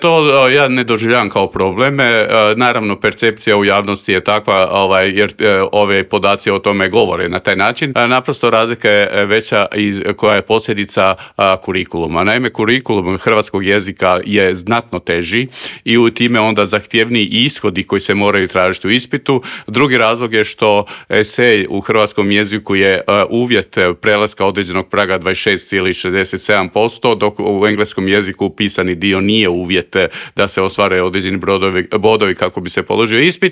To ja ne doživljavam kao probleme. Naravno, percepcija u javnosti je takva jer ove podaci o tome govore na taj način. Naprosto razlika je veća koja je posljedica kurikuluma. Naime, kurikulum hrvatskog jezika je znatno teži i u time onda zahtjevniji ishodi koji se moraju tražiti u ispitu. Drugi razlog je što esej u hrvatskom jeziku je uvjet prelaska određenog praga 26,67%, dok u engleskom jeziku pisani dio nije uvjet da se ostvare određeni bodovi kako bi se položio ispit.